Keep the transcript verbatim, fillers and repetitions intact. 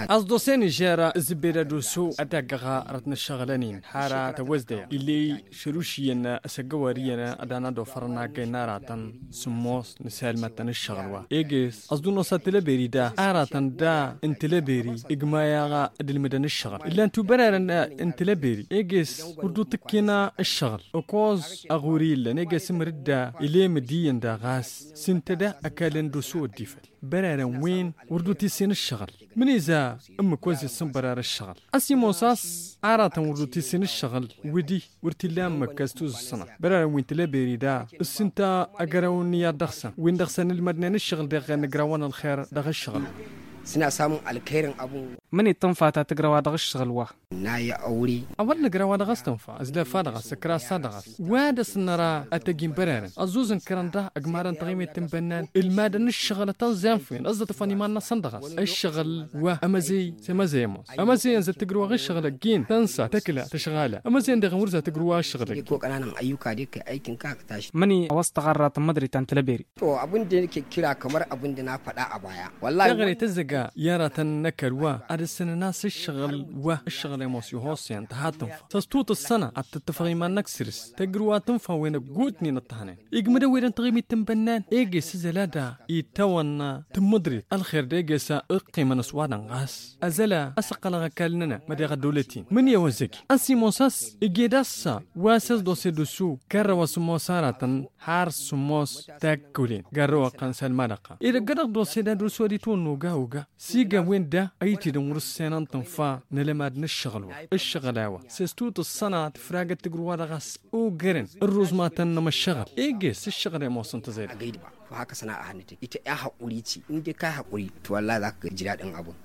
Ăsdose nižer zǝbbed ad-oso ad-taggăɣa răt n-ǝššăɣǝlăn-in har tăwăzdeya ill'-e šăruš iyyăn asăggăwar iyyăn ad-anădofărăn aggăyăn aratăn sǝmmos n-asalmad-tăn ǝššăɣǝl wa eges ăẓḍǝnnos ad-tǝlăberi da aratăn da n-tǝlăberi igmay-aɣ ad-ǝlmǝdăn ǝššăɣǝl ǝllan-tu bărarăn n-tǝlăberi eges wăr dd-utǝkken ǝššăɣǝl ăkoẓ aɣuri illăn eges ǝmǝr-dd ilemǝd iyyăn daɣ ɣas s-ǝnta da ăkall n-dd-oso ăddifăl bărarăn wen wăr dd-utǝssin ǝššăɣǝl mǝniza ǝmmǝk wa zǝssǝnbărar ǝššăɣǝl a-s imoos a-s aratăn wăr dd-utǝssin ǝššăɣǝl wǝdi wăr t-illa ǝmmǝk a-s tuzǝssănăt bărarăn wi n-tileberi da s-ǝnta agărăw n-iyyăḍ dăɣ-săn wi n-dăɣ-săn ǝlmădnen ǝššăɣǝl deɣ nǝgrawăn ălxer dăɣ-ǝššăɣǝl. Sǝnasam ălxer n-abǝn. Mǝni tǝnfa ta tǝgraw-a dăɣ-ǝššăɣǝl wa. N-ayya ăwri. A-wa d-nǝgraw-a dăɣ-s tǝnfa ăzlăfa dăɣ-s ǝkra-s a dăɣ-s wa dăɣ-s năra ad-tăjj n-bărarăn ăẓẓuẓ n-kărăn da ăgmadăn taɣimit n-bănnan ǝlmadăn ǝššăɣǝl a tăn-zănfin ăẓẓătăfăn iman-năsăn dăɣ-s ǝššăɣǝl wa ămăzăy s-emăzăy ămoos ămăzăyăn zăt-tǝgrǝwăɣ ǝššăɣǝl-ăgg-in tănsa tăkla tăšɣală ămăzăyăn deɣ n-wăr zăt-tǝgrǝwăɣ ǝššăɣǝl-ăgg-in. Măni a-wa s-tăɣarra tămmădrit ta n-tălăberi. To abin da nake kira kamar abin da na faɗa a baya. Wallahi taɣre tăzzăga i-aratăn n-ăkall wa ad-ǝssǝnăn a-s ǝššăɣǝl wa ǝššăɣǝl i-ămoos ihosăyăn tăha tǝnfa s-ăstutǝssăna ad-tǝttǝfăɣ iman-năk săr-s tăjrǝw a tǝnfa-wen ăggootnen ǝṭṭăhnen igmǝd ăwwedăn taɣimit n-bănnan eges ǝzăla da itawăn tǝmmǝḍrit ălxer d-eges ǝqqimăn s-wa-dăɣ ɣas ăzăla a-s ǝqqălăɣ ăkall-nănăɣ mădeɣ ăddăwlăt-in mǝnǝya wăzzăgi a-s imos a-s ǝjed a-s wa s-ăsḍose d-osu garrăw a-s ămoos aratăn har sǝmmos takkulen garrăw ăqqăn s-ălmadăɣ-ta edăgg-dăɣ d-osedad osod itwănna oga oga s-iga wen da ăytidăn wăr-ǝssenăn tǝnfa n-alămad n-ǝššăɣǝl wa ǝššăɣǝl a-wa s-ăstutǝssăna tǝfragăt tǝgrǝw-wa-dăɣ a-s ogerăn ărruzmatăn n-emăššăɣǝl eges ǝššăɣǝl i-ămoosăn tăẓedăɣ. Agăy d-iba. Făw hakăsăn a ăhănnătăn ităy a haqquri ti ǝndek a haqquri. Tǝwălla dak-jǝdad n-abun.